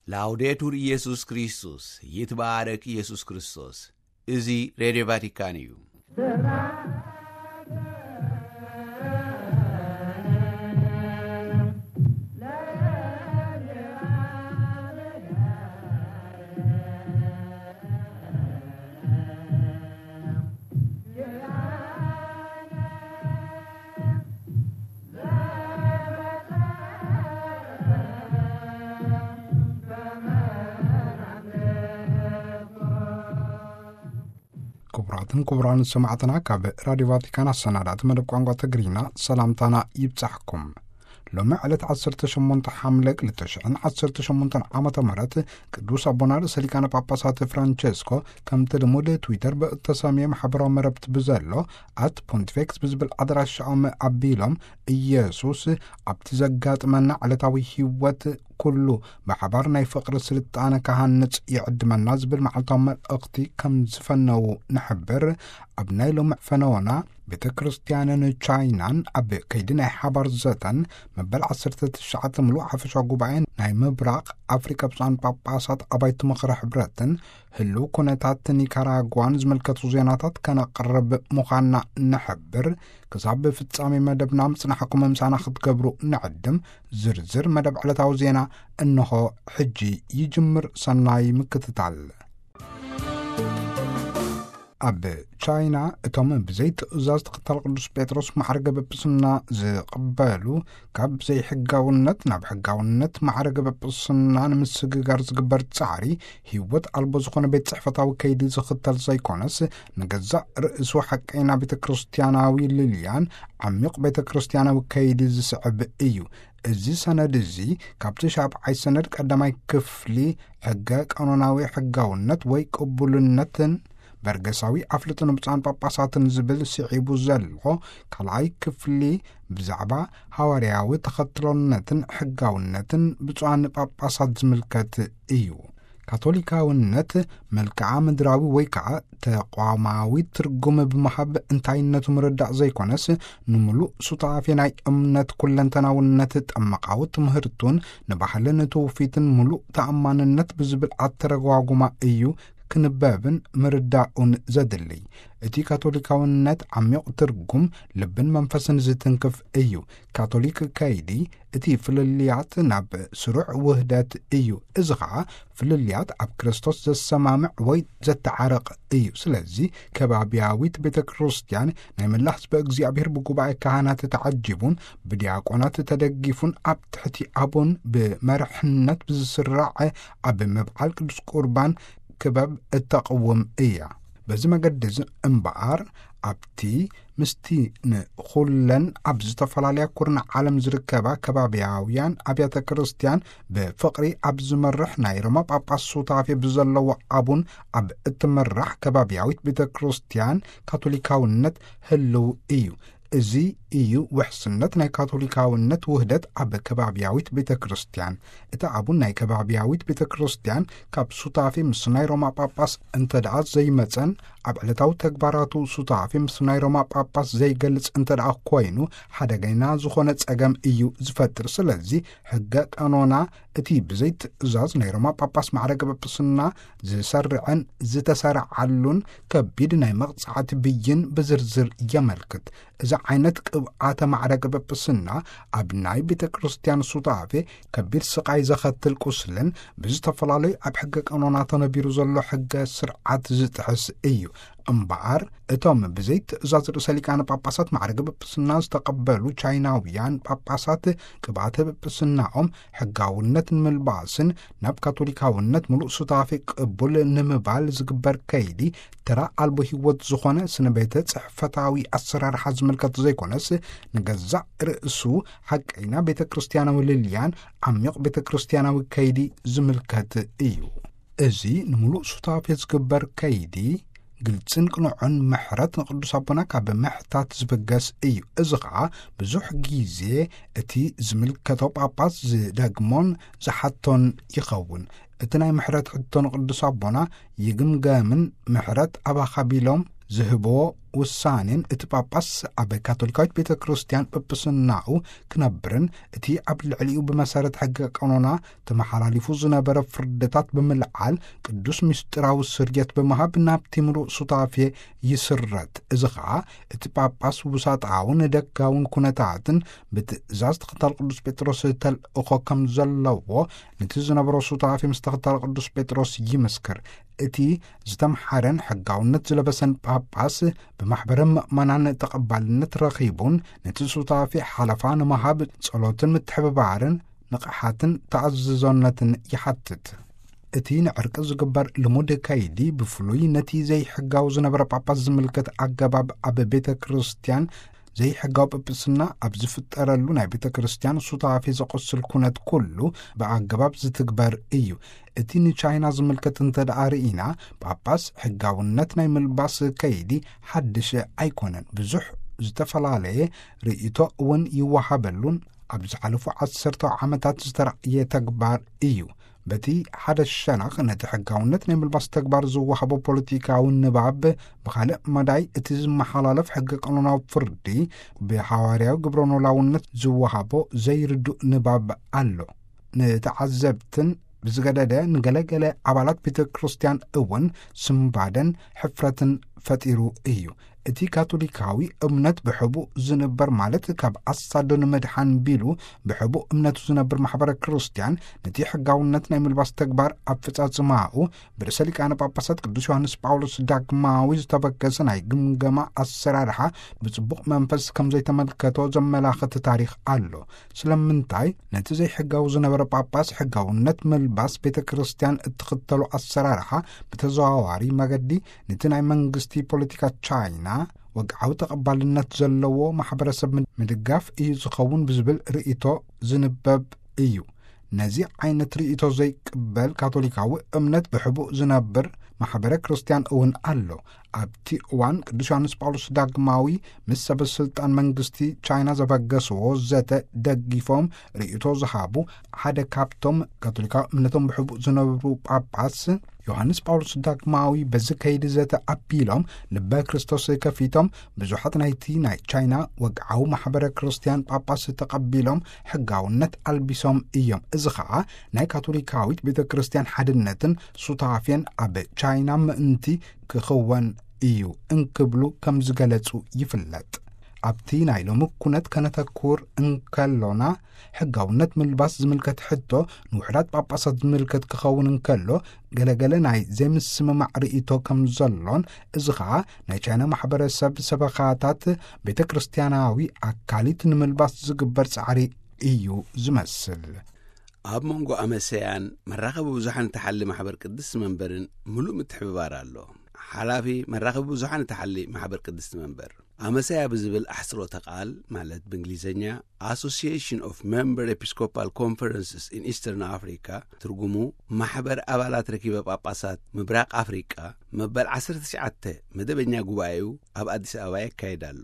ላውዴቱር ኢየሱስ ክርስቶስ፣ ይትባረክ ኢየሱስ ክርስቶስ። እዚ ሬድዮ ቫቲካን እዩ። ክቡራትን ክቡራን ሰማዕትና፣ ካብ ራዲዮ ቫቲካን ኣሰናዳእቲ መደብ ቋንቋ ትግርኛ ሰላምታና ይብጻሕኩም። ሎሚ ዕለት ዓሰርተ ሸሞንተ ሓምለ ክልተ ሽሕን ዓሰርተ ሸሞንተን ዓመተ ምህረት ቅዱስ ኣቦና ርእሰ ሊቃነ ጳጳሳት ፍራንቸስኮ ከምቲ ልሙድ ትዊተር ብእተሰምየ ማሕበራዊ መረብቲ ብዘሎ ኣት ፖንቲፌክስ ብዝብል ኣድራሻኦም ኣቢሎም፣ ኢየሱስ ኣብቲ ዘጋጥመና ዕለታዊ ህይወት ኩሉ ብሓባር ናይ ፍቕሪ ስልጣነ ክሃንጽ ይዕድመና ዝብል መዓልታዊ መልእኽቲ ከም ዝፈነዉ ንሕብር። ኣብ ናይ ሎሚ ፈነወና ቤተ ክርስቲያንን ቻይናን ኣብ ከይዲ ናይ ሓባር ዘተን መበል ዓሰርተ ትሽዓተ ምሉእ ሓፈሻዊ ጉባኤ ናይ ምብራቕ ኣፍሪካ ብፁዓን ጳጳሳት ኣባይቲ ምኽሪ ሕብረትን ህልው ኩነታት ኒካራጓን ዝምልከቱ ዜናታት ከነቕርብ ምዃንና ንሕብር። ክሳብ ፍጻሜ መደብና ምጽናሕኩም ምሳና ክትገብሩ ንዕድም። ዝርዝር መደብ ዕለታዊ ዜና እንሆ ሕጂ ይጅምር። ሰናይ ምክትታል። ኣብ ቻይና እቶም ብዘይ ትእዛዝ ተኸታል ቅዱስ ጴጥሮስ ማዕረገ ጵጵስና ዝቕበሉ፣ ካብ ዘይሕጋውነት ናብ ሕጋውነት ማዕረገ ጵጵስና ንምስግጋር ዝግበር ጻዕሪ ህይወት ኣልቦ ዝኾነ ቤት ጽሕፈታዊ ከይዲ ዝኽተል ዘይኮነስ፣ ንገዛእ ርእሱ ሓቀይና ቤተ ክርስቲያናዊ ልልያን ዓሚቕ ቤተ ክርስቲያናዊ ከይዲ ዝስዕብ እዩ። እዚ ሰነድ እዚ ካብቲ ሻብዓይ ሰነድ ቀዳማይ ክፍሊ ሕገ ቀኖናዊ ሕጋውነት ወይ ቅቡልነትን በርገሳዊ ኣፍልጦ ንብፁዓን ጳጳሳትን ዝብል ስዒቡ ዘሎ ካልኣይ ክፍሊ ብዛዕባ ሃዋርያዊ ተኸትሎነትን ሕጋውነትን ብፁዓን ጳጳሳት ዝምልከት እዩ። ካቶሊካውነት መልክዓ ምድራዊ ወይ ከዓ ተቋማዊ ትርጉም ብምሃብ እንታይነቱ ምርዳእ ዘይኮነስ፣ ንምሉእ ሱታፌ ናይ እምነት ኩለንተናውነት ጠመቃዊ ትምህርቱን ንባህልን ትውፊትን ምሉእ ተኣማንነት ብዝብል ኣተረጓጉማ እዩ ክንበብን ምርዳኡን ዘድልይ። እቲ ካቶሊካውነት ዓሚቕ ትርጉም ልብን መንፈስን ዝትንክፍ እዩ። ካቶሊክ ከይዲ እቲ ፍልልያት ናብ ስሩዕ ውህደት እዩ። እዚ ኸዓ ፍልልያት ኣብ ክርስቶስ ዘሰማምዕ ወይ ዘተዓርቕ እዩ። ስለዚ ከባብያዊት ቤተ ክርስቲያን ናይ መላ ህዝበ እግዚኣብሔር ብጉባኤ ካህናት ተዓጂቡን ብዲያቆናት ተደጊፉን ኣብ ትሕቲ ኣቡን ብመርሕነት ብዝስራዕ ኣብ ምብዓል ቅዱስ ቁርባን ክበብ እተቕውም እያ። በዚ መገዲ እዚ እምበኣር ኣብቲ ምስቲ ንኹለን ኣብ ዝተፈላለያ ኩርናዕ ዓለም ዝርከባ ከባብያውያን ኣብያተ ክርስቲያን ብፍቕሪ ኣብ ዝመርሕ ናይ ሮማ ጳጳስ ሱታፌ ብዘለዎ ኣቡን ኣብ እትምራሕ ከባብያዊት ቤተ ክርስቲያን ካቶሊካውነት ህልው እዩ። እዚ እዩ ውሕስነት ናይ ካቶሊካውነት ውህደት ኣብ ከባብያዊት ቤተ ክርስቲያን። እቲ ኣቡን ናይ ከባብያዊት ቤተ ክርስቲያን ካብ ሱታፌ ምስ ናይ ሮማ ጳጳስ እንተ ደኣ ዘይመጸን ኣብ ዕለታዊ ተግባራቱ ሱታፌ ምስ ናይ ሮማ ጳጳስ ዘይገልጽ እንተ ደኣ ኮይኑ፣ ሓደገና ዝኾነ ጸገም እዩ ዝፈጥር። ስለዚ ሕገ ቀኖና እቲ ብዘይ ትእዛዝ ናይ ሮማ ጳጳስ ማዕረገ ጳጳስና ዝሰርዐን ዝተሰርዓሉን ከቢድ ናይ መቕጻዕቲ ብይን ብዝርዝር የመልክት። እዚ ዓይነት ቅብኣተ ማዕረገ ጳጳስና ኣብ ናይ ቤተ ክርስቲያን ሱታፌ ከቢድ ስቓይ ዘኸትል ቁስልን ብዝተፈላለዩ ኣብ ሕገ ቀኖና ተነቢሩ ዘሎ ሕገ ስርዓት ዝጥሕስ እዩ። እምበኣር እቶም ብዘይ ትእዛዝ ርእሰ ሊቃነ ጳጳሳት ማዕረገ ጳጳስና ዝተቐበሉ ቻይናውያን ጳጳሳት ቅብኣተ ጳጳስናኦም ሕጋውነት ንምልባስን ናብ ካቶሊካውነት ምሉእ ሱታፌ ቅቡል ንምባል ዝግበር ከይዲ ተራ ኣልቦ ህይወት ዝኾነ ስነ ቤተ ጽሕፈታዊ ኣሰራርሓ ዝምልከት ዘይኮነስ፣ ንገዛእ ርእሱ ሓቀይና ቤተ ክርስቲያናዊ ልልያን ዓሚቕ ቤተ ክርስቲያናዊ ከይዲ ዝምልከት እዩ። እዚ ንምሉእ ሱታፌ ዝግበር ከይዲ ግልጽን ቅኑዕን ምሕረት ንቅዱስ ኣቦና ካብ ምሕታት ዝብገስ እዩ። እዚ ኸዓ ብዙሕ ግዜ እቲ ዝምልከቶ ጳጳስ ዝደግሞን ዝሓቶን ይኸውን። እቲ ናይ ምሕረት ሕቶ ንቅዱስ ኣቦና ይግምገምን ምሕረት ኣባኻ ቢሎም ዝህብዎ ውሳኔን፣ እቲ ጳጳስ ኣብ ካቶሊካዊት ቤተ ክርስቲያን ጵጵስናኡ ክነብርን፣ እቲ ኣብ ልዕሊኡ ብመሰረት ሕገ ቀኖና ተመሓላሊፉ ዝነበረ ፍርድታት ብምልዓል፣ ቅዱስ ምስጢራዊ ስርየት ብምሃብ ናብቲ ምሉእ ሱታፌ ይስረት። እዚ ኸኣ እቲ ጳጳስ ውሳጣውን ደጋውን ኩነታትን ብትእዛዝ ተኸታል ቅዱስ ጴጥሮስ ተልእኾ ከም ዘለዎ፣ ነቲ ዝነበሮ ሱታፌ ምስ ተኸታል ቅዱስ ጴጥሮስ ይምስክር። እቲ ዝተምሓረን ሕጋውነት ዝለበሰን ጳጳስ ብማሕበረ ምእመናን ተቐባልነት ረኺቡን፣ ነቲ ሱታፌ ሓለፋ ንምሃብ ጸሎትን ምትሕብባርን ንቕሓትን ተኣዝዞነትን ይሓትት። እቲ ንዕርቂ ዝግበር ልሙድ ከይዲ፣ ብፍሉይ ነቲ ዘይሕጋዊ ዝነበረ ጳጳስ ዝምልከት ኣገባብ፣ ኣብ ቤተ ክርስቲያን ዘይሕጋዊ ጵጵስና ኣብ ዝፍጠረሉ ናይ ቤተ ክርስቲያን ሱታፌ ዘቆስል ኩነት ኩሉ ብኣገባብ ዝትግበር እዩ። እቲ ንቻይና ዝምልከት እንተ ደኣ ርኢና፣ ጳጳስ ሕጋውነት ናይ ምልባስ ከይዲ ሓድሽ ኣይኮነን። ብዙሕ ዝተፈላለየ ርእይቶ እውን ይወሃበሉን ኣብ ዝሓለፉ ዓሰርተ ዓመታት ዝተራእየ ተግባር እዩ። በቲ ሓደ ሸነኽ፣ ነቲ ሕጋውነት ናይ ምልባስ ተግባር ዝወሃቦ ፖለቲካዊ ንባብ፣ ብኻልእ መዳይ፣ እቲ ዝመሓላለፍ ሕገ ቀኖናዊ ፍርዲ ብሃዋርያዊ ግብረ ኖላውነት ዝወሃቦ ዘይርዱእ ንባብ ኣሎ። ንተዓዘብትን ብዝገደደ ንገለገለ ኣባላት ቤተ ክርስቲያን እውን ስምባደን ሕፍረትን ፈጢሩ እዩ። እቲ ካቶሊካዊ እምነት ብሕቡእ ዝንበር፣ ማለት ካብ ኣሳዶ ንምድሓን ቢሉ ብሕቡእ እምነቱ ዝነብር ማሕበረ ክርስቲያን፣ ነቲ ሕጋውነት ናይ ምልባስ ተግባር ኣፈጻጽማኡ ብርእሰ ሊቃነ ጳጳሳት ቅዱስ ዮሃንስ ጳውሎስ ዳግማዊ ዝተበገሰ ናይ ግምገማ ኣሰራርሓ ብጽቡቕ መንፈስ ከም ዘይተመልከቶ ዘመላኽት ታሪኽ ኣሎ። ስለምንታይ? ነቲ ዘይሕጋዊ ዝነበረ ጳጳስ ሕጋውነት ምልባስ ቤተ ክርስቲያን እትኽተሎ ኣሰራርሓ ብተዘዋዋሪ መገዲ ነቲ ናይ መንግስቲ ፖለቲካ ቻይና ወግዓዊ ተቐባልነት ዘለዎ ማሕበረሰብ ምድ-፣ ምድጋፍ እዩ ዝኸውን ብዝብል ርእይቶ ዝንበብ እዩ። ነዚ ዓይነት ርእይቶ ዘይቅበል ካቶሊካዊ እምነት ብሕቡእ ዝነብር ማሕበረ ክርስቲያን እውን ኣሎ። ኣብቲ እዋን ቅዱስ ዮሃንስ ጳውሎስ ዳግማዊ ምስ ሰበ ስልጣን መንግስቲ ቻይና ዘበገስዎ ዘተ ደጊፎም ርእይቶ ዝሃቡ ሓደ ካብቶም ካቶሊካዊ እምነቶም ብሕቡእ ዝነብሩ ጳጳስ፣ ዮሃንስ ጳውሎስ ዳግማዊ በዚ ከይዲ ዘተ ኣቢሎም ልበ ክርስቶስ ከፊቶም፣ ብዙሓት ናይቲ ናይ ቻይና ወግዓዊ ማሕበረ ክርስቲያን ጳጳስ ተቐቢሎም ሕጋውነት ኣልቢሶም እዮም። እዚ ኸኣ ናይ ካቶሊካዊት ቤተ ክርስቲያን ሓድነትን ሱታፌን ኣብ ቻይና ምእንቲ ክኽወን እዩ እንክብሉ ከም ዝገለጹ ይፍለጥ። ኣብቲ ናይ ሎሚ ኩነት ከነተኩር እንከሎና፣ ሕጋውነት ምልባስ ዝምልከት ሕቶ ንውሑዳት ጳጳሳት ዝምልከት ክኸውን እንከሎ፣ ገለገለ ናይ ዘይምስምማዕ ርእይቶ ከም ዘሎን፣ እዚ ኸኣ ናይ ቻይና ማሕበረሰብ ሰበኻታት ቤተ ክርስቲያናዊ ኣካሊት ንምልባስ ዝግበር ጻዕሪ እዩ ዝመስል። ኣብ መንጎ ኣመሰያን መራኸቢ ብዙሓን እትሓሊ ማሕበር ቅድስቲ መንበርን ምሉእ ምትሕብባር ኣሎ። ሓላፊ መራኸቢ ብዙሓን እትሓሊ ማሕበር ቅድስቲ መንበር፣ ኣመሰያ ብዝብል ኣሕጽሮተ ቃል፣ ማለት ብእንግሊዝኛ Association of Member Episcopal Conferences in Eastern Africa፣ ትርጉሙ ማሕበር ኣባላት ረኪበ ጳጳሳት ምብራቕ ኣፍሪቃ፣ መበል ዓሰርተ ትሽዓተ መደበኛ ጉባኤኡ ኣብ ኣዲስ ኣበባ የካይድ ኣሎ።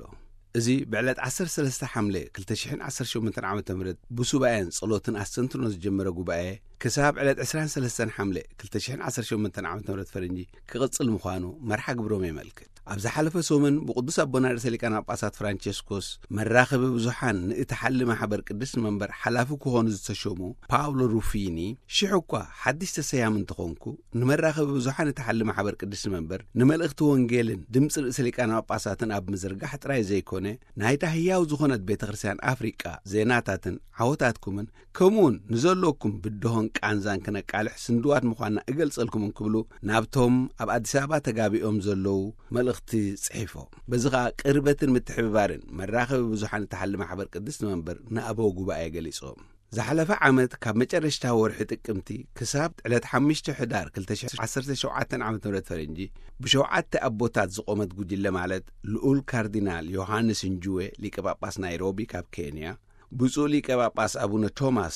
እዚ ብዕለት ዓሰርተ ሰለስተ ሓምለ ክልተ ሽሕን ዓሰርተ ሸሞንተን ዓመተ ምህረት ብሱባኤን ጸሎትን ኣስተንትኖ ዝጀመረ ጉባኤ፣ ክሳብ ዕለት ዕስራን ሰለስተን ሓምለ ክልተ ሽሕን ዓሰርተ ሸሞንተን ዓመተ ምህረት ፈረንጂ ክቕጽል ምዃኑ መርሓ ግብሮም የመልክት። ኣብ ዝሓለፈ ሰሙን ብቅዱስ ኣቦና ርእሰ ሊቃነ ጳጳሳት ፍራንቸስኮስ መራኸቢ ብዙሓን ንእትሓሊ ማሕበር ቅድስቲ መንበር ሓላፊ ክኾኑ ዝተሸሙ ፓውሎ ሩፊኒ፣ ሽሕ እኳ ሓድሽ ተሰያሚ እንተኾንኩ፣ ንመራኸቢ ብዙሓን እትሓሊ ማሕበር ቅድስቲ መንበር ንመልእኽቲ ወንጌልን ድምፂ ርእሰ ሊቃነ ጳጳሳትን ኣብ ምዝርጋሕ ጥራይ ዘይኮነ፣ ናይታ ህያው ዝኾነት ቤተ ክርስቲያን ኣፍሪቃ ዜናታትን ዓወታትኩምን ከምኡውን ንዘለኩም ብድሆን ቃንዛን ክነቃልሕ ስንድዋት ምዃንና እገልጸልኩም እንክብሉ ናብቶም ኣብ ኣዲስ ኣበባ ተጋቢኦም ዘለዉ መልእኽቲ ጽሒፎም። በዚ ኸኣ ቅርበትን ምትሕብባርን መራኸቢ ብዙሓን እትሓሊ ማሕበር ቅድስቲ መንበር ንኣበው ጉባኤ ገሊጾም። ዝሓለፈ ዓመት ካብ መጨረሽታ ወርሒ ጥቅምቲ ክሳብ ዕለት ሓሙሽተ ሕዳር ክልተ ሽሕን ዓሰርተ ሸውዓተን ዓመተ ምህረት ፈረንጂ ብሸውዓተ ኣቦታት ዝቖመት ጉጅለ ማለት ልኡል ካርዲናል ዮሃንስ እንጅዌ ሊቀ ጳጳስ ናይሮቢ ካብ ኬንያ፣ ብፁዕ ሊቀ ጳጳስ ኣቡነ ቶማስ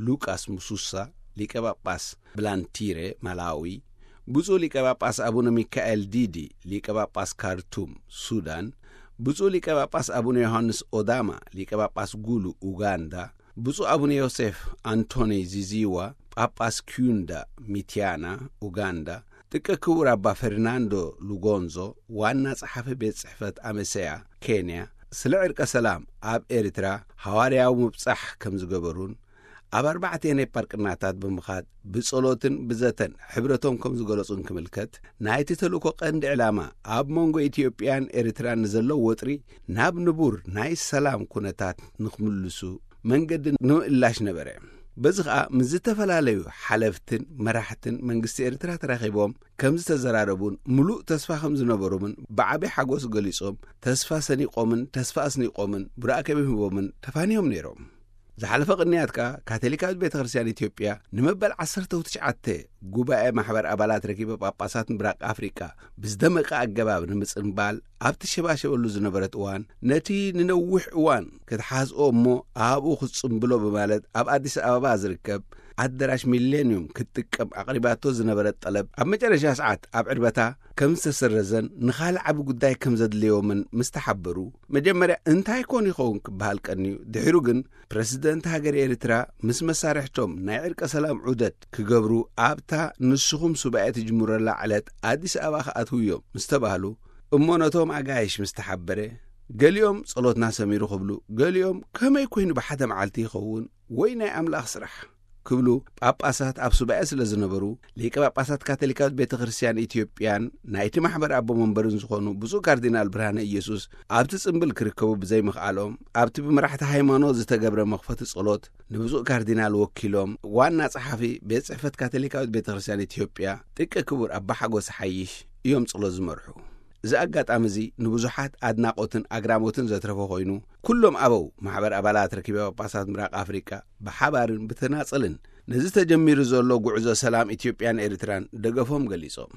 ሉቃስ ሙሱሳ ሊቀ ጳጳስ ብላንቲረ ማላዊ፣ ብፁዕ ሊቀ ጳጳስ ኣቡነ ሚካኤል ዲዲ ሊቀ ጳጳስ ካርቱም ሱዳን፣ ብፁዕ ሊቀ ጳጳስ ኣቡነ ዮሃንስ ኦዳማ ሊቀ ጳጳስ ጉሉ ኡጋንዳ፣ ብፁዕ ኣቡነ ዮሴፍ ኣንቶኒ ዚዚዋ ጳጳስ ኪዩንዳ ሚቲያና ኡጋንዳ፣ ጥቀ ክቡር ኣባ ፈርናንዶ ሉጎንዞ፣ ዋና ጸሓፊ ቤት ጽሕፈት ኣመሰያ ኬንያ፣ ስለ ዕርቀ ሰላም ኣብ ኤርትራ ሃዋርያዊ ምብጻሕ ከም ዝገበሩን ኣብ ኣርባዕተ ናይ ፓርቅናታት ብምኻድ ብጸሎትን ብዘተን ሕብረቶም ከም ዝገለጹን ክምልከት፣ ናይቲ ተልእኮ ቀንዲ ዕላማ ኣብ መንጎ ኢትዮጵያን ኤርትራን ንዘሎ ወጥሪ ናብ ንቡር ናይ ሰላም ኩነታት ንክምልሱ መንገዲ ንምእላሽ ነበረ። በዚ ኸኣ ምስ ዝተፈላለዩ ሓለፍትን መራሕትን መንግስቲ ኤርትራ ተራኺቦም ከም ዝተዘራረቡን ምሉእ ተስፋ ከም ዝነበሮምን ብዓቢ ሓጎስ ገሊጾም፣ ተስፋ ሰኒቖምን ተስፋ ኣስኒቖምን ብራእከቢም ሂቦምን ተፋንዮም ነይሮም። ዝሓለፈ ቅንያት ከኣ ካቶሊካዊት ቤተ ክርስቲያን ኢትዮጵያ ንመበል ዓሰርተ ትሽዓተ ጉባኤ ማሕበር ኣባላት ረኪበ ጳጳሳት ምብራቕ ኣፍሪቃ ብዝደመቀ ኣገባብ ንምጽንባል ኣብቲ ሸባሸበሉ ዝነበረት እዋን፣ ነቲ ንነዊሕ እዋን ክትሓዝኦ እሞ ኣብኡ ክትጽንብሎ ብማለት ኣብ ኣዲስ ኣበባ ዝርከብ ኣደራሽ ሚሌንዩም ክትጥቀም ኣቕሪባቶ ዝነበረት ጠለብ ኣብ መጨረሻ ሰዓት ኣብ ዕርበታ ከም ዝተሰረዘን ንኻልእ ዓቢ ጉዳይ ከም ዘድልዮምን ምስ ተሓበሩ፣ መጀመርያ እንታይ ኮን ይኸውን ክበሃል ቀንዩ፣ ድሒሩ ግን ፕረሲደንት ሃገር ኤርትራ ምስ መሳርሕቶም ናይ ዕርቀ ሰላም ዑደት ክገብሩ ኣብታ ንስኹም ሱባኤ ትጅምረላ ዕለት ኣዲስ ኣበባ ክኣትውዮም ምስ ተባህሉ፣ እሞ ነቶም ኣጋይሽ ምስ ተሓበረ፣ ገሊኦም ጸሎትና ሰሚሩ ክብሉ፣ ገሊኦም ከመይ ኮይኑ ብሓደ መዓልቲ ይኸውን ወይ ናይ ኣምላኽ ስራሕ ክብሉ ጳጳሳት ኣብ ሱባኤ ስለ ዝነበሩ፣ ሊቀ ጳጳሳት ካቶሊካዊት ቤተ ክርስቲያን ኢትዮጵያን ናይቲ ማሕበር ኣቦ መንበርን ዝኾኑ ብፁዕ ካርዲናል ብርሃነ ኢየሱስ ኣብቲ ጽምብል ክርከቡ ብዘይምኽኣሎም፣ ኣብቲ ብመራሕቲ ሃይማኖት ዝተገብረ መኽፈቲ ጸሎት ንብፁዕ ካርዲናል ወኪሎም ዋና ጸሓፊ ቤት ጽሕፈት ካቶሊካዊት ቤተ ክርስቲያን ኢትዮጵያ ጥቀ ክቡር ኣባ ሓጎስ ሓይሽ እዮም ጸሎት ዝመርሑ። እዚ ኣጋጣሚ እዚ ንብዙሓት ኣድናቖትን ኣግራሞትን ዘትረፈ ኮይኑ፣ ኩሎም ኣበው ማሕበር ኣባላት ረኪበ ጳጳሳት ምብራቕ ኣፍሪቃ ብሓባርን ብተናጸልን ነዚ ተጀሚሩ ዘሎ ጉዕዞ ሰላም ኢትዮጵያን ኤርትራን ደገፎም ገሊጾም።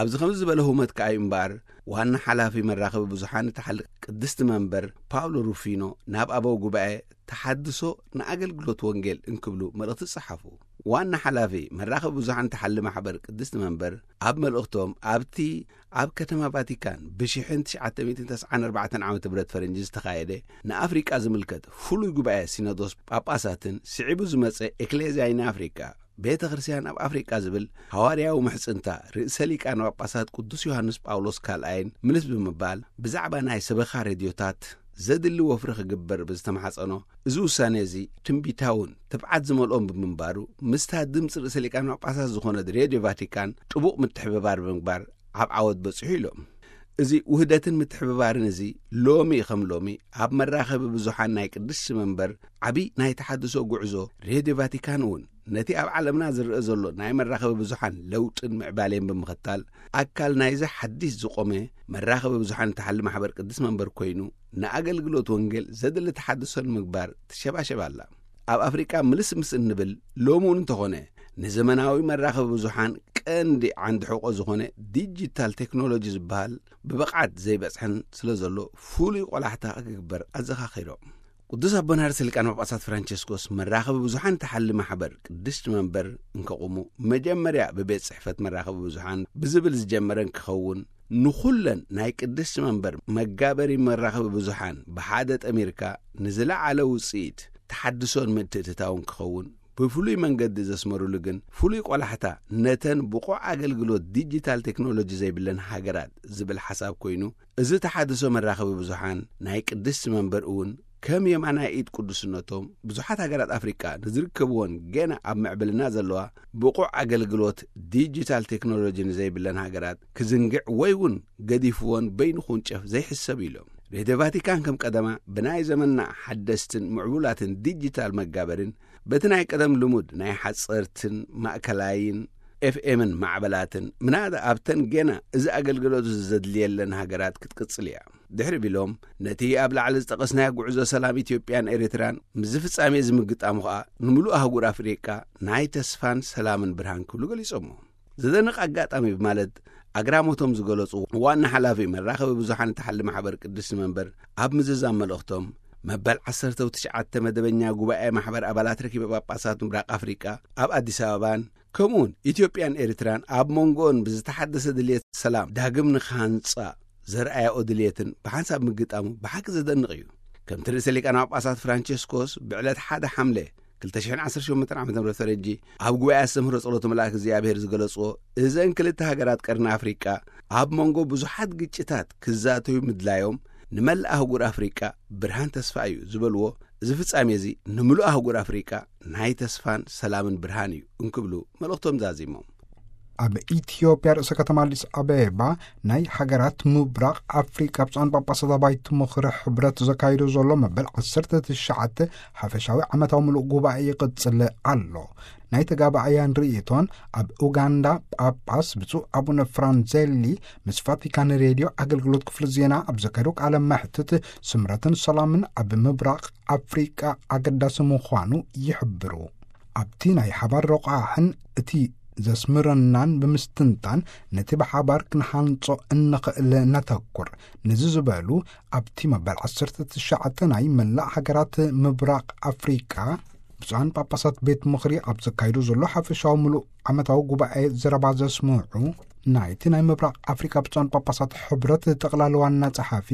ኣብዚ ከምዚ ዝበለ ህውመት ከኣ እዩ እምበኣር፣ ዋና ሓላፊ መራኸቢ ብዙሓን እታ ሓል ቅድስቲ መንበር ፓውሎ ሩፊኖ ናብ ኣበው ጉባኤ ተሓድሶ ንኣገልግሎት ወንጌል እንክብሉ መልእኽቲ ጸሓፉ። ዋና ሓላፊ መራኸቢ ብዙሓን እታ ሓሊ ማሕበር ቅድስቲ መንበር ኣብ መልእኽቶም ኣብቲ ኣብ ከተማ ቫቲካን ብሽሕን ትሽዓተ ሚእትን ተስዓን ኣርባዕተን ዓመተ ምህረት ፈረንጂ ዝተኻየደ ንኣፍሪቃ ዝምልከት ፍሉይ ጉባኤ ሲኖዶስ ጳጳሳትን ስዒቡ ዝመጸ ኤክሌዝያ ይን ኣፍሪቃ ቤተ ክርስቲያን ኣብ ኣፍሪቃ ዝብል ሃዋርያዊ ምሕጽንታ ርእሰ ሊቃነ ጳጳሳት ቅዱስ ዮሃንስ ጳውሎስ ካልኣይን ምልስ ብምባል ብዛዕባ ናይ ሰበኻ ሬድዮታት ዘድሊ ወፍሪ ክግበር ብዝተማሕጸኖ፣ እዚ ውሳኔ እዚ ትንቢታውን ትብዓት ዝመልኦን ብምንባሩ፣ ምስታ ድምጺ ርእሰ ሊቃነ ጳጳሳት ዝኾነት ሬድዮ ቫቲካን ጥቡቕ ምትሕብባር ብምግባር ኣብ ዓወት በጺሑ ኢሎም። እዚ ውህደትን ምትሕብባርን እዚ ሎሚ ከም ሎሚ ኣብ መራኸቢ ብዙሓን ናይ ቅድስቲ መንበር ዓቢ ናይ ተሓድሶ ጉዕዞ ሬድዮ ቫቲካን እውን ነቲ ኣብ ዓለምና ዝረአ ዘሎ ናይ መራኸቢ ብዙሓን ለውጥን ምዕባሌን ብምኽታል ኣካል ናይዚ ሓዲስ ዝቖመ መራኸቢ ብዙሓን እትሓሊ ማሕበር ቅድስቲ መንበር ኮይኑ ንኣገልግሎት ወንጌል ዘድሊ ተሓድሶ ንምግባር ትሸባሸብ ኣላ። ኣብ ኣፍሪቃ ምልስ ምስ እንብል ሎሚ እውን እንተኾነ ንዘመናዊ መራኸቢ ብዙሓን ቀንዲ ዓንዲ ሕቆ ዝኾነ ዲጂታል ቴክኖሎጂ ዝበሃል ብብቕዓት ዘይበጽሐን ስለ ዘሎ ፍሉይ ቆላሕታ ክግበር ኣዘኻኺሮም። ቅዱስ ኣቦና ርእሰ ሊቃነ ጳጳሳት ፍራንቸስኮስ መራኸቢ ብዙሓን እትሓሊ ማሕበር ቅድስቲ መንበር እንከቑሙ መጀመርያ ብቤት ጽሕፈት መራኸቢ ብዙሓን ብዝብል ዝጀመረ እንክኸውን ንኹለን ናይ ቅድስቲ መንበር መጋበሪ መራኸቢ ብዙሓን ብሓደ ጠሚርካ ንዝለዓለ ውጽኢት ተሓድሶን ምትእትታውን ክኸውን ብፍሉይ መንገዲ ዘስመሩሉ ግን ፍሉይ ቆላሕታ ነተን ብቑዕ ኣገልግሎት ዲጂታል ቴክኖሎጂ ዘይብለን ሃገራት ዝብል ሓሳብ ኮይኑ እዚ ተሓድሶ መራኸቢ ብዙሓን ናይ ቅድስቲ መንበር እውን ከም የማናይ ኢድ ቅዱስነቶም ብዙሓት ሃገራት ኣፍሪቃ ንዝርከብዎን ገና ኣብ ምዕብልና ዘለዋ ብቑዕ ኣገልግሎት ዲጂታል ቴክኖሎጂ ንዘይብለን ሃገራት ክዝንግዕ ወይ እውን ገዲፍዎን በይኑ ክውንጨፍ ዘይሕሰብ ኢሎም። ሬድዮ ቫቲካን ከም ቀደማ ብናይ ዘመንና ሓደስትን ምዕቡላትን ዲጂታል መጋበርን በቲ ናይ ቀደም ልሙድ ናይ ሓጸርትን ማእከላይን ኤፍኤምን ማዕበላትን ምናዳ ኣብተን ገና እዚ ኣገልግሎት እዚ ዘድልየለን ሃገራት ክትቅጽል እያ። ድሕሪ ቢሎም ነቲ ኣብ ላዕሊ ዝጠቐስናዮ ጉዕዞ ሰላም ኢትዮጵያን ኤርትራን ምስ ፍጻሜ ዝምግጣሙ ኸኣ ንምሉእ ኣህጉር ኣፍሪቃ ናይ ተስፋን ሰላምን ብርሃን ክብሉ ገሊጾሞ። ዘደንቕ ኣጋጣሚ ብማለት ኣግራሞቶም ዝገለጹ ዋና ሓላፊ መራኸቢ ብዙሓን እትሓሊ ማሕበር ቅድስቲ መንበር ኣብ ምዝዛም መልእኽቶም መበል ዓሰርተ ትሽዓተ መደበኛ ጉባኤ ማሕበር ኣባላት ረኪበ ጳጳሳት ምብራቕ ኣፍሪቃ ኣብ ኣዲስ ኣበባን ከምኡውን ኢትዮጵያን ኤርትራን ኣብ መንጎኦን ብዝተሓደሰ ድልየት ሰላም ዳግም ንክሃንጻ ዘርኣያኦ ድልየትን ብሓንሳብ ምግጣሙ ብሓቂ ዘደንቕ እዩ። ከምቲ ርእሰ ሊቃነ ጳጳሳት ፍራንቸስኮስ ብዕለት ሓደ ሓምለ ክልተ ሽሕን ዓሰርተ ሸሞንተን ዓመተ ምህረት ፈረንጂ ኣብ ጉባኤ ኣስተምህሮ ጸሎተ መልኣክ እግዚኣብሔር ዝገለጽዎ፣ እዘን ክልተ ሃገራት ቀርኒ ኣፍሪቃ ኣብ መንጎ ብዙሓት ግጭታት ክዛተዩ ምድላዮም ንመላእ ኣህጉር ኣፍሪቃ ብርሃን ተስፋ እዩ ዝበልዎ፣ እዚ ፍጻሜ እዚ ንምሉእ ኣህጉር ኣፍሪቃ ናይ ተስፋን ሰላምን ብርሃን እዩ እንክብሉ መልእኽቶም ዛዚሞም። ኣብ ኢትዮጵያ ርእሰ ከተማ ኣዲስ ኣበባ ናይ ሃገራት ምብራቕ ኣፍሪቃ ብፁዓን ጳጳሳት ኣባይቲ ምኽሪ ሕብረት ዘካይዶ ዘሎ መበል ዓሰርተ ትሽዓተ ሓፈሻዊ ዓመታዊ ምሉእ ጉባኤ ይቕጽል ኣሎ። ናይ ተጋባእያን ርእይቶን ኣብ ኡጋንዳ ጳጳስ ብፁዕ ኣቡነ ፍራንዜሊ ምስ ቫቲካን ሬድዮ ኣገልግሎት ክፍሊ ዜና ኣብ ዘካየዶ ቃለ መሕትት፣ ስምረትን ሰላምን ኣብ ምብራቕ ኣፍሪቃ ኣገዳሲ ምዃኑ ይሕብሩ። ኣብቲ ናይ ሓባር ረቋሕን እቲ ዘስምረናን ብምስትንታን፣ ነቲ ብሓባር ክንሃንጾ እንኽእል ነተኩር። ነዚ ዝበሉ ኣብቲ መበል ዓሰርተ ትሽዓተ ናይ መላእ ሃገራት ምብራቕ ኣፍሪቃ ብፁዓን ጳጳሳት ቤት ምኽሪ ኣብ ዘካይዶ ዘሎ ሓፈሻዊ ምሉእ ዓመታዊ ጉባኤ ዘረባ ዘስምዑ፣ ናይቲ ናይ ምብራቕ ኣፍሪቃ ብፁዓን ጳጳሳት ሕብረት ጠቕላሊ ዋና ጸሓፊ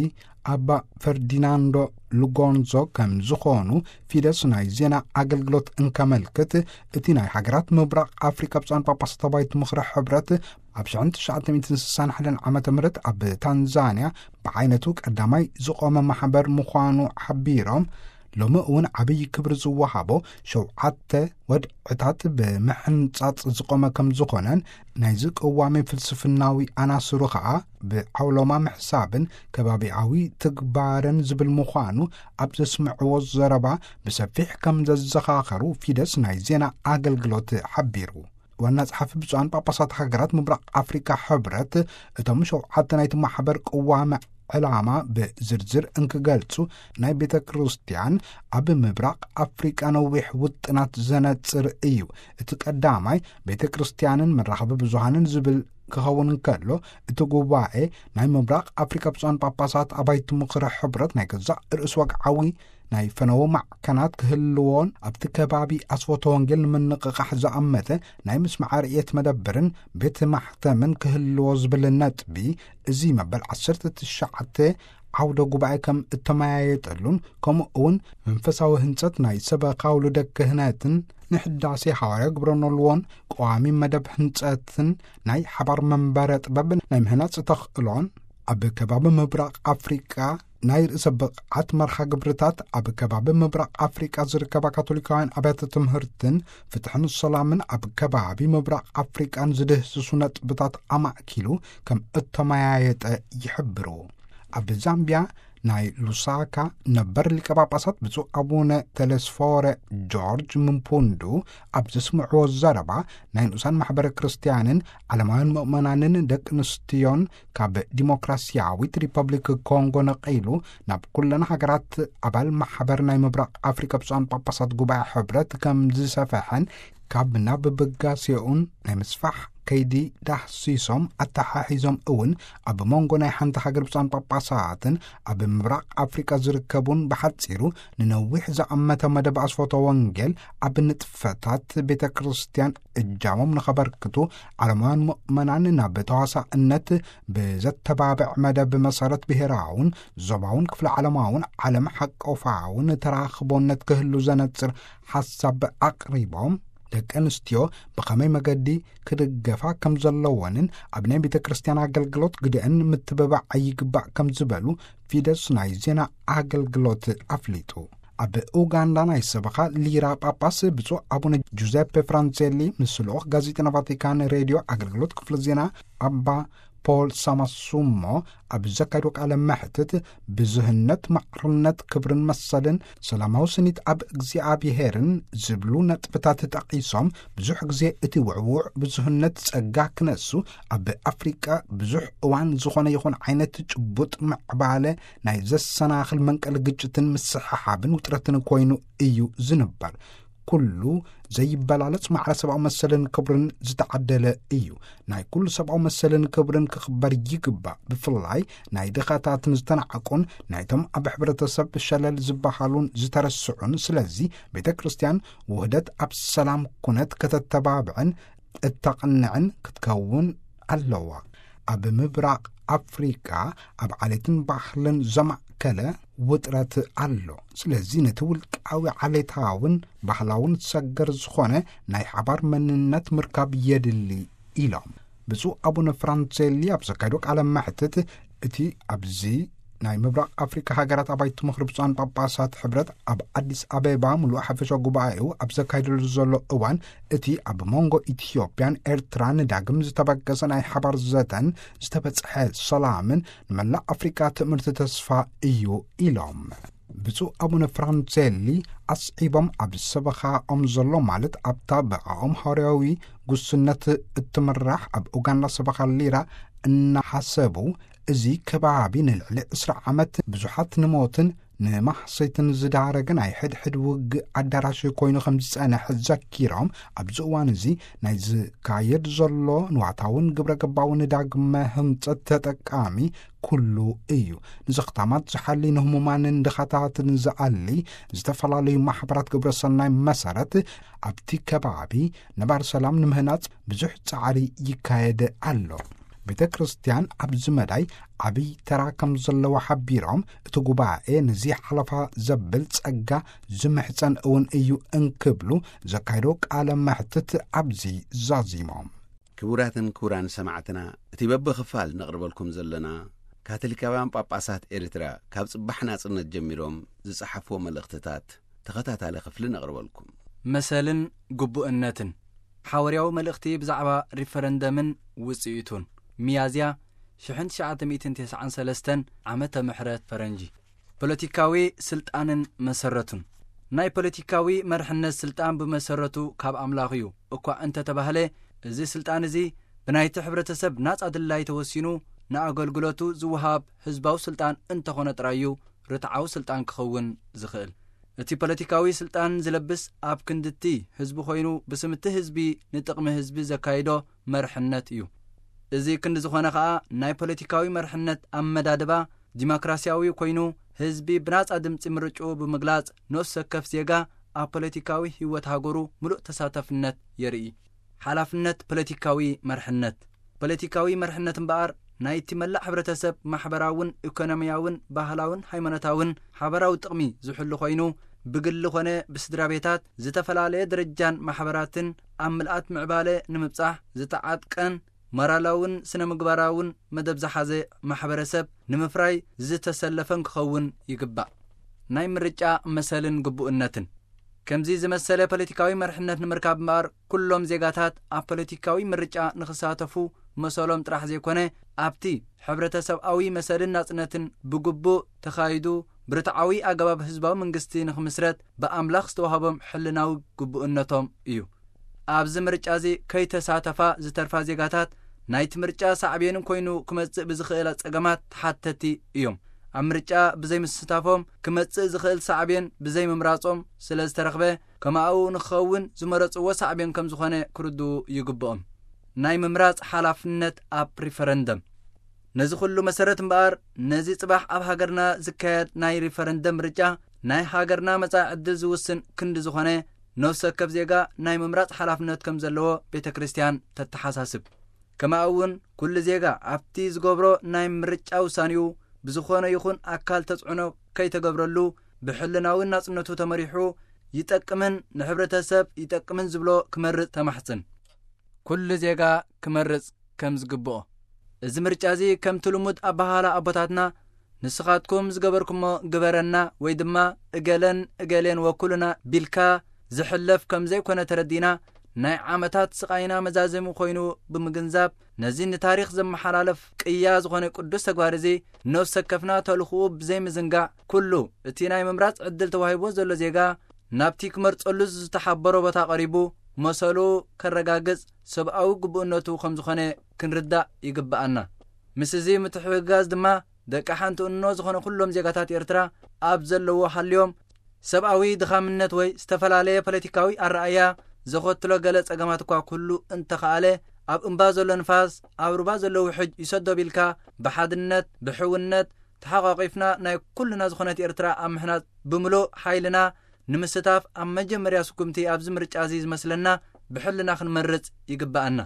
ኣባ ፈርዲናንዶ ሉጎንዞ ከም ዝኾኑ ፊደስ ናይ ዜና ኣገልግሎት እንከመልክት፣ እቲ ናይ ሃገራት ምብራቕ ኣፍሪቃ ብፁዓን ጳጳሳት ኣባይቲ ምኽሪ ሕብረት ኣብ ሽሕን ትሽዓተ ሚእትን ስሳን ሓደን ዓመተ ምህረት ኣብ ታንዛንያ ብዓይነቱ ቀዳማይ ዝቖመ ማሕበር ምዃኑ ሓቢሮም፣ ሎሚ እውን ዓብዪ ክብሪ ዝወሃቦ ሸውዓተ ወድዕታት ብምሕንጻጽ ዝቖመ ከም ዝኾነን፣ ናይዚ ቅዋሜ ፍልስፍናዊ ኣናስሩ ኸኣ ብዓውሎማ ምሕሳብን ከባቢያዊ ትግባርን ዝብል ምዃኑ ኣብ ዘስምዕዎ ዘረባ ብሰፊሕ ከም ዘዘኻኸሩ ፊደስ ናይ ዜና ኣገልግሎት ሓቢሩ። ዋና ጸሓፊ ብፁዓን ጳጳሳት ሃገራት ምብራቕ ኣፍሪካ ሕብረት፣ እቶም ሸውዓተ ናይቲ ማሕበር ቅዋመ ዕላማ ብዝርዝር እንክገልጹ፣ ናይ ቤተ ክርስቲያን ኣብ ምብራቕ ኣፍሪቃ ነዊሕ ውጥናት ዘነጽር እዩ። እቲ ቀዳማይ ቤተ ክርስቲያንን መራኸቢ ብዙሃንን ዝብል ክኸውን እንከሎ፣ እቲ ጉባኤ ናይ ምብራቕ ኣፍሪቃ ብፁዓን ጳጳሳት ኣባይቲ ምኽሪ ሕብረት ናይ ገዛእ ርእሱ ወግዓዊ ናይ ፈነወ ማዕከናት ክህልዎን፣ ኣብቲ ከባቢ ኣስፎተ ወንጌል ንምንቕቓሕ ዝኣመተ ናይ ምስማዕ ርእየት መደብርን ቤት ማሕተምን ክህልዎ ዝብል ነጥቢ፣ እዚ መበል ዓሰርተ ትሽዓተ ዓውደ ጉባኤ ከም እተመያየጠሉን፣ ከምኡ እውን መንፈሳዊ ህንጸት ናይ ሰበኻ ውሉደ ክህነትን ንሕዳሴ ሃዋርያ ግብረ ኖልዎን ቀዋሚ መደብ ህንጸትን ናይ ሓባር መንበረ ጥበብ ናይ ምህናጽ ተኽእሎን ኣብ ከባቢ ምብራቕ ኣፍሪቃ ናይ ርእሰ ብቕዓት መርሃ ግብርታት ኣብ ከባቢ ምብራቕ ኣፍሪቃ ዝርከባ ካቶሊካውያን ኣብያተ ትምህርትን ፍትሕን ሰላምን ኣብ ከባቢ ምብራቕ ኣፍሪቃን ዝድህስሱ ነጥብታት ኣማእኪሉ ከም እተመያየጠ ይሕብሩ። ኣብ ዛምቢያ ናይ ሉሳካ ነበር ሊቀ ጳጳሳት ብፁዕ ኣቡነ ተለስፎረ ጆርጅ ምንፑንዱ ኣብ ዘስምዕዎ ዘረባ፣ ናይ ንኡሳን ማሕበረ ክርስትያንን ዓለማውያን ምእመናንን ደቂ ኣንስትዮን ካብ ዲሞክራሲያዊት ሪፐብሊክ ኮንጎ ነቒሉ ናብ ኩለን ሃገራት ኣባል ማሕበር ናይ ምብራቕ ኣፍሪካ ብፁዓን ጳጳሳት ጉባኤ ሕብረት ከም ዝሰፈሐን፣ ካብ ናብ ብጋሴኡን ናይ ምስፋሕ ከይዲ ዳህሲሶም ኣተሓሒዞም እውን፣ ኣብ መንጎ ናይ ሓንቲ ሃገር ብፁዓን ጳጳሳትን ኣብ ምብራቕ ኣፍሪቃ ዝርከቡን ብሓጺሩ ንነዊሕ ዝኣመተ መደብ ኣስፎተ ወንጌል ኣብ ንጥፈታት ቤተ ክርስቲያን እጃሞም ንኸበርክቱ፣ ዓለማውያን ምእመናን ናብ ተዋሳእነት ብዘተባብዕ መደብ መሰረት ብሔራውን ዞባውን ክፍለ ዓለማውን ዓለም ሓቆፋውን ተራኽቦነት ክህሉ ዘነጽር ሓሳብ ኣቕሪቦም፣ ደቂ ኣንስትዮ ብኸመይ መገዲ ክድገፋ ከም ዘለወንን ኣብ ናይ ቤተ ክርስቲያን ኣገልግሎት ግደአን ምትብባዕ ኣይግባእ ከም ዝበሉ ፊደስ ናይ ዜና ኣገልግሎት ኣፍሊጡ። ኣብ ኡጋንዳ ናይ ሰበኻ ሊራ ጳጳስ ብፁዕ ኣቡነ ጁዘፔ ፍራንሴሊ ምስ ልኡኽ ጋዜጠና ቫቲካን ሬድዮ ኣገልግሎት ክፍሊ ዜና ኣባ ፖል ሳማሱሞ ኣብ ዘካየዶ ቃለ መሕትት፣ ብዙህነት፣ ማዕርነት፣ ክብርን መሰልን ሰላማዊ ስኒት ኣብ እግዚኣብሄርን ዝብሉ ነጥብታት ጠቒሶም፣ ብዙሕ ግዜ እቲ ውዕዉዕ ብዙህነት ጸጋ ክነሱ፣ ኣብ ኣፍሪቃ ብዙሕ እዋን ዝኾነ ይኹን ዓይነት ጭቡጥ ምዕባለ ናይ ዘሰናኽል መንቀሊ ግጭትን ምስሕሓብን ውጥረትን ኮይኑ እዩ ዝንበር። ኩሉ ዘይበላለጽ ማዕረ ሰብኣዊ መሰልን ክብርን ዝተዓደለ እዩ። ናይ ኩሉ ሰብኣዊ መሰልን ክብርን ክኽበር ይግባእ። ብፍላይ ናይ ድኻታትን ዝተናዕቁን፣ ናይቶም ኣብ ሕብረተሰብ ሸለል ዝበሃሉን ዝተረስዑን። ስለዚ ቤተ ክርስቲያን ውህደት ኣብ ሰላም ኩነት ከተተባብዕን እተቕንዕን ክትከውን ኣለዋ። ኣብ ምብራቕ ኣፍሪቃ ኣብ ዓሌትን ባህልን ዘማእከለ ዘኸተለ ውጥረት ኣሎ። ስለዚ ነቲ ውልቃዊ ዓሌታውን ባህላውን ሰገር ዝኾነ ናይ ሓባር መንነት ምርካብ የድሊ ኢሎም። ብፁዕ ኣቡነ ፍራንሴሊ ኣብ ዘካየዶ ቃለ መሕትት፣ እቲ ኣብዚ ናይ ምብራቕ ኣፍሪካ ሃገራት ኣባይቲ ምኽሪ ብፁዓን ጳጳሳት ሕብረት ኣብ ኣዲስ ኣበባ ምሉእ ሓፈሻ ጉባኤኡ ኣብ ዘካየደሉ ዘሎ እዋን፣ እቲ ኣብ መንጎ ኢትዮጵያን ኤርትራን ዳግም ዝተበገሰ ናይ ሓባር ዘተን ዝተበጽሐ ሰላምን ንመላእ ኣፍሪካ ትምህርቲ ተስፋ እዩ ኢሎም። ብፁዕ ኣቡነ ፍራንሴሊ ኣስዒቦም፣ ኣብ ሰበኻኦም ዘሎ ማለት ኣብታ ብኣኦም ሃዋርያዊ ጉስነት እትምራሕ ኣብ ኡጋንዳ ሰበኻ ሊራ እናሓሰቡ፣ እዚ ከባቢ ንልዕሊ ዕስራ ዓመት ብዙሓት ንሞትን ንማሕሰይትን ዝዳረገ ናይ ሕድሕድ ውግእ ኣዳራሽ ኮይኑ ከም ዝጸንሐ ዘኪሮም፣ ኣብዚ እዋን እዚ ናይ ዝካየድ ዘሎ ንዋታውን ግብረ ገባውን ዳግመ ህንጸት ተጠቃሚ ኩሉ እዩ። ንዘኽታማት ዝሓሊ፣ ንህሙማንን ድኻታትን ዝኣሊ ዝተፈላለዩ ማሕበራት ግብረ ሰናይ መሰረት ኣብቲ ከባቢ ነባር ሰላም ንምህናጽ ብዙሕ ጻዕሪ ይካየድ ኣሎ። ቤተ ክርስቲያን ኣብዚ መዳይ ዓብይ ተራ ከም ዘለዎ ሓቢሮም፣ እቲ ጉባኤ ነዚ ሓለፋ ዘብል ጸጋ ዝምሕጸን እውን እዩ እንክብሉ ዘካየዶ ቃለ መሕትት ኣብዚ ዛዚሞም። ክቡራትን ክቡራን ሰማዕትና፣ እቲ በብኽፋል ነቕርበልኩም ዘለና ካቶሊካውያን ጳጳሳት ኤርትራ ካብ ጽባሕ ናጽነት ጀሚሮም ዝጸሓፍዎ መልእኽትታት ተኸታታሊ ክፍሊ ነቕርበልኩም። መሰልን ግቡእነትን። ሓዋርያዊ መልእኽቲ ብዛዕባ ሪፈረንደምን ውጽኢቱን። ሚያዝያ ሽሕን ትሽዓተ ሚእትን ተስዓን ሰለስተን ዓመተ ምሕረት ፈረንጂ። ፖለቲካዊ ስልጣንን መሰረቱን። ናይ ፖለቲካዊ መርሕነት ስልጣን ብመሰረቱ ካብ ኣምላኽ እዩ እኳ እንተተባህለ፣ እዚ ስልጣን እዚ ብናይቲ ሕብረተሰብ ናጻ ድላይ ተወሲኑ ንኣገልግሎቱ ዝወሃብ ህዝባዊ ስልጣን እንተኾነ ጥራይ እዩ ርትዓዊ ስልጣን ክኸውን ዝኽእል። እቲ ፖለቲካዊ ስልጣን ዝለብስ ኣብ ክንድቲ ህዝቢ ኮይኑ ብስምቲ ህዝቢ ንጥቕሚ ህዝቢ ዘካይዶ መርሕነት እዩ። እዚ ክንዲ ዝኾነ ኸኣ ናይ ፖለቲካዊ መርሕነት ኣመዳድባ ዲሞክራሲያዊ ኮይኑ ህዝቢ ብናጻ ድምጺ ምርጭኡ ብምግላጽ ንኡስ ወከፍ ዜጋ ኣብ ፖለቲካዊ ህይወት ሃገሩ ምሉእ ተሳተፍነት የርኢ። ሓላፍነት ፖለቲካዊ መርሕነት። ፖለቲካዊ መርሕነት እምበኣር ናይቲ መላእ ሕብረተሰብ ማሕበራውን ኢኮኖሚያውን ባህላውን ሃይማኖታውን ሓበራዊ ጥቕሚ ዝሕሉ ኮይኑ ብግሊ ኾነ ብስድራ ቤታት ዝተፈላለየ ደረጃን ማሕበራትን ኣብ ምልኣት ምዕባለ ንምብጻሕ ዝተዓጥቀን ሞራላውን ስነ ምግባራውን መደብ ዝሓዘ ማሕበረሰብ ንምፍራይ ዝተሰለፈን ክኸውን ይግባእ። ናይ ምርጫ መሰልን ግቡእነትን። ከምዚ ዝመሰለ ፖለቲካዊ መርሕነት ንምርካብ እምበኣር ኩሎም ዜጋታት ኣብ ፖለቲካዊ ምርጫ ንኽሳተፉ መሰሎም ጥራሕ ዘይኮነ ኣብቲ ሕብረተሰብኣዊ መሰልን ናጽነትን ብግቡእ ተኻይዱ ብርትዓዊ ኣገባብ ህዝባዊ መንግስቲ ንኽምስረት ብኣምላኽ ዝተዋህቦም ሕልናዊ ግቡእነቶም እዩ። ኣብዚ ምርጫ እዚ ከይተሳተፋ ዝተርፋ ዜጋታት ናይቲ ምርጫ ሳዕቤን ኮይኑ ክመጽእ ብዝኽእል ጸገማት ተሓተቲ እዮም። ኣብ ምርጫ ብዘይምስታፎም ክመጽእ ዝኽእል ሳዕቤን ብዘይምምራጾም ስለ ዝተረኽበ ከማኡ ንኽኸውን ዝመረጽዎ ሳዕቤን ከም ዝኾነ ክርድኡ ይግብኦም። ናይ ምምራጽ ሓላፍነት ኣብ ሪፈረንደም። ነዚ ኩሉ መሰረት እምበኣር ነዚ ጽባሕ ኣብ ሃገርና ዝካየድ ናይ ሪፈረንደም ምርጫ ናይ ሃገርና መጻኢ ዕድል ዝውስን ክንዲ ዝኾነ ነፍሲ ወከፍ ዜጋ ናይ ምምራጽ ሓላፍነት ከም ዘለዎ ቤተ ክርስቲያን ተተሓሳስብ። ከማኡ እውን ኩሉ ዜጋ ኣብቲ ዝገብሮ ናይ ምርጫ ውሳኔኡ ብዝኾነ ይኹን ኣካል ተጽዕኖ ከይተገብረሉ ብሕልናዊ ናጽነቱ ተመሪሑ ይጠቅምን ንሕብረተሰብ ይጠቅምን ዝብሎ ክመርጽ ተማሕጽን። ኩሉ ዜጋ ክመርጽ ከም ዝግብኦ። እዚ ምርጫ እዚ ከምቲ ልሙድ ኣበሃህላ ኣቦታትና ንስኻትኩም ዝገበርኩሞ ግበረና ወይ ድማ እገለን እገሌን ወኩሉና ቢልካ ዝሕለፍ ከም ዘይኮነ ተረዲና ናይ ዓመታት ስቓይና መዛዘሚ ኮይኑ ብምግንዛብ ነዚ ንታሪኽ ዘመሓላለፍ ቅያ ዝኾነ ቅዱስ ተግባር እዚ ነፍሲ ወከፍና ተልእኾኡ ብዘይምዝንጋዕ ኩሉ እቲ ናይ ምምራጽ ዕድል ተዋሂብዎ ዘሎ ዜጋ ናብቲ ክመርጸሉ ዝተሓበሮ ቦታ ቀሪቡ መሰሉ ከረጋግጽ ሰብኣዊ ግቡእነቱ ከም ዝኾነ ክንርዳእ ይግብኣና። ምስ እዚ ምትሕግጋዝ ድማ ደቂ ሓንቲ እኖ ዝኾነ ኩሎም ዜጋታት ኤርትራ ኣብ ዘለዎ ሃልዮም ሰብኣዊ ድኻምነት ወይ ዝተፈላለየ ፖለቲካዊ ኣረኣያ ዘኸትሎ ገለ ጸገማት እኳ ክህሉ እንተኸኣለ ኣብ እምባ ዘሎ ንፋስ ኣብ ሩባ ዘሎ ውሕጅ ይሰዶ ቢልካ ብሓድነት ብሕውነት ተሓቋቒፍና ናይ ኩልና ዝኾነት ኤርትራ ኣብ ምሕናጽ ብምሉእ ሓይልና ንምስታፍ ኣብ መጀመርያ ስጉምቲ ኣብዚ ምርጫ እዚ ዝመስለና ብሕልና ክንመርጽ ይግብኣና።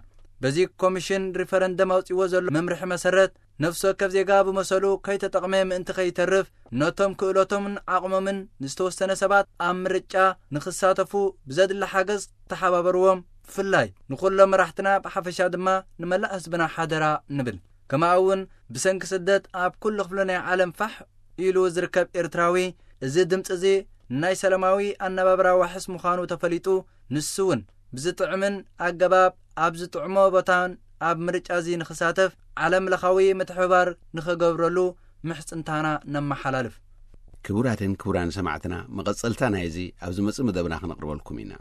በዚ ኮሚሽን ሪፈረንደም ኣውጺዎ ዘሎ መምርሒ መሰረት ነፍሲ ወከፍ ዜጋ ብመሰሉ ከይተጠቕመ ምእንቲ ከይተርፍ፣ ነቶም ክእለቶምን ዓቕሞምን ንዝተወሰነ ሰባት ኣብ ምርጫ ንኽሳተፉ ብዘድሊ ሓገዝ ተሓባበርዎም። ብፍላይ ንኹሎም መራሕትና ብሓፈሻ ድማ ንመላእ ህዝብና ሓደራ ንብል። ከማኡ እውን ብሰንኪ ስደት ኣብ ኩሉ ክፍሊ ናይ ዓለም ፋሕ ኢሉ ዝርከብ ኤርትራዊ፣ እዚ ድምጺ እዚ ናይ ሰላማዊ ኣነባብራ ዋሕስ ምዃኑ ተፈሊጡ፣ ንሱ እውን ብዝጥዕምን ኣገባብ ኣብ ዝጥዕሞ ቦታን ኣብ ምርጫ እዚ ንኽሳተፍ ዓለም ለኻዊ ምትሕብባር ንኽገብረሉ ምሕጽንታና ነመሓላልፍ። ክቡራትን ክቡራን ሰማዕትና፣ መቐጸልታ ናይዚ ኣብ ዝመጽእ መደብና ክነቕርበልኩም ኢና።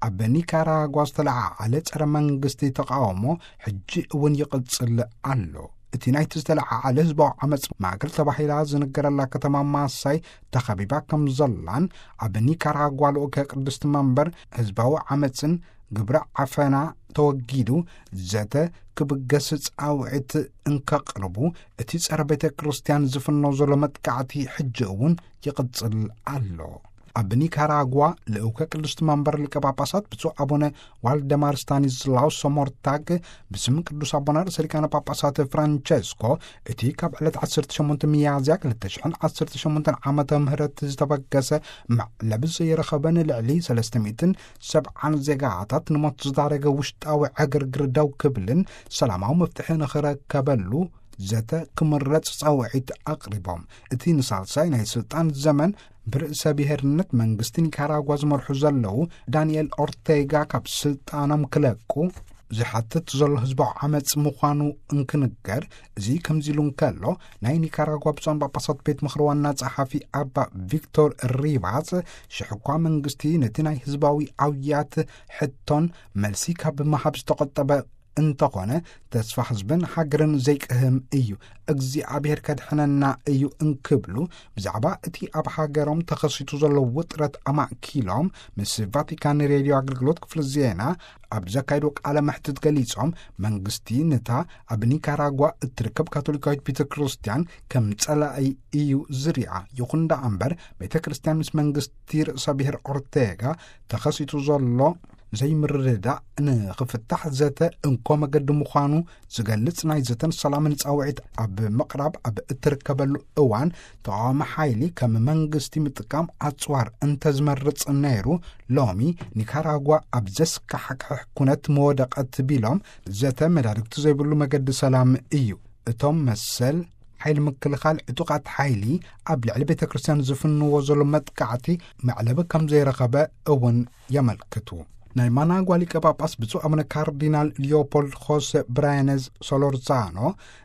ኣብ ኒካራጓ ዝተለዓዓለ ጸረ መንግስቲ ተቃውሞ ሕጂ እውን ይቕጽል ኣሎ። እቲ ናይቲ ዝተለዓዓለ ህዝባዊ ዓመጽ ማእከል ተባሂላ ዝንገረላ ከተማ ማሳይ ተኸቢባ ከም ዘላን፣ ኣብ ኒካራጓ ልኡከ ቅድስቲ መንበር ህዝባዊ ዓመጽን ግብረ ዓፈና ተወጊዱ ዘተ ክብገስ ጻውዒት እንከቕርቡ፣ እቲ ጸረ ቤተ ክርስቲያን ዝፍኖ ዘሎ መጥቃዕቲ ሕጂ እውን ይቕጽል ኣሎ። ኣብ ኒካራጓ ልኡከ ቅድስቲ መንበር ሊቀ ጳጳሳት ብፁዕ ኣቡነ ዋልደማር ስታኒስላውስ ሶሞርታግ ብስም ቅዱስ ኣቦና ርእሰ ሊቃነ ጳጳሳት ፍራንቸስኮ፣ እቲ ካብ ዕለት ዓሰርተ ሸሞንተ ሚያዝያ ክልተ ሽሕን ዓሰርተ ሸሞንተን ዓመተ ምህረት ዝተበገሰ መዕለቢ ዘይረኸበ ንልዕሊ ሰለስተ ሚእትን ሰብዓን ዜጋታት ንሞት ዝዳረገ ውሽጣዊ ዕግርግር ደው ክብልን ሰላማዊ መፍትሒ ንኽረከበሉ ዘተ ክምረጽ ጻውዒት ኣቕሪቦም። እቲ ንሳልሳይ ናይ ስልጣን ዘመን ብርእሰ ብሔርነት መንግስቲ ኒካራጓ ዝመርሑ ዘለዉ ዳንኤል ኦርቴጋ ካብ ስልጣኖም ክለቁ ዝሓትት ዘሎ ህዝባዊ ዓመጽ ምዃኑ እንክንገር፣ እዚ ከምዚ ኢሉ እንከሎ፣ ናይ ኒካራጓ ብፁዓን ጳጳሳት ቤት ምኽሪ ዋና ጸሓፊ ኣባ ቪክቶር ሪቫስ፣ ሽሕ እኳ መንግስቲ ነቲ ናይ ህዝባዊ ኣውያት ሕቶን መልሲ ካብ ምሃብ ዝተቖጠበ እንተኾነ፣ ተስፋ ህዝብን ሃገርን ዘይቅህም እዩ፣ እግዚኣብሔር ከድሕነና እዩ እንክብሉ፣ ብዛዕባ እቲ ኣብ ሃገሮም ተኸሲቱ ዘሎ ውጥረት ኣማእኪሎም ምስ ቫቲካን ሬድዮ ኣገልግሎት ክፍሊ ዜና ኣብ ዘካየዶ ቃለ መሕትት ገሊጾም፣ መንግስቲ ነታ ኣብ ኒካራጓ እትርከብ ካቶሊካዊት ቤተ ክርስቲያን ከም ጸላኢ እዩ ዝሪኣ። ይኹን ደኣ እምበር፣ ቤተ ክርስቲያን ምስ መንግስቲ ርእሰ ብሔር ኦርቴጋ ተኸሲቱ ዘሎ ዘይምርድዳእ ንኽፍታሕ ዘተ እንኮ መገዲ ምዃኑ ዝገልጽ ናይ ዘተን ሰላምን ጻውዒት ኣብ ምቕራብ ኣብ እትርከበሉ እዋን፣ ተቓዋሚ ሓይሊ ከም መንግስቲ ምጥቃም ኣጽዋር እንተዝመርጽ ነይሩ፣ ሎሚ ኒካራጓ ኣብ ዘስካሕክሕ ኩነት ምወደቐት ቢሎም፣ ዘተ መዳርግቲ ዘይብሉ መገዲ ሰላም እዩ። እቶም መሰል ሓይሊ ምክልኻል ዕጡቓት ሓይሊ ኣብ ልዕሊ ቤተ ክርስቲያን ዝፍንዎ ዘሎ መጥቃዕቲ መዕለቢ ከም ዘይረኸበ እውን የመልክቱ። ናይ ማናጓ ሊቀ ጳጳስ ብፁዕ ኣቡነ ካርዲናል ሊዮፖልድ ሆሴ ብራያነዝ ሶሎርዛኖ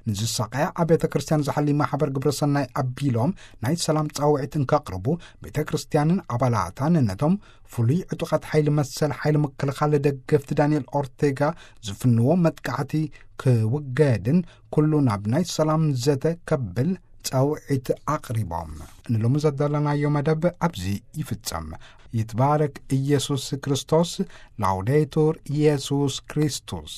ንዝሳቐያ ኣብያተ ክርስቲያን ዝሓሊ ማሕበር ግብረ ሰናይ ኣቢሎም ናይ ሰላም ጻውዒት እንከቕርቡ፣ ቤተ ክርስቲያንን ኣባላታን ነቶም ፍሉይ ዕጡቓት ሓይሊ መሰል ሓይሊ ምክልኻል ደገፍቲ ዳንኤል ኦርቴጋ ዝፍንዎ መጥቃዕቲ ክውገድን ኩሉ ናብ ናይ ሰላም ዘተ ከብል ጻውዒት ኣቕሪቦም። ንሎሚ ዘዳለናዮ መደብ ኣብዚ ይፍጸም። ይትባረክ ኢየሱስ ክርስቶስ። ላውዴቱር ኢየሱስ ክርስቶስ።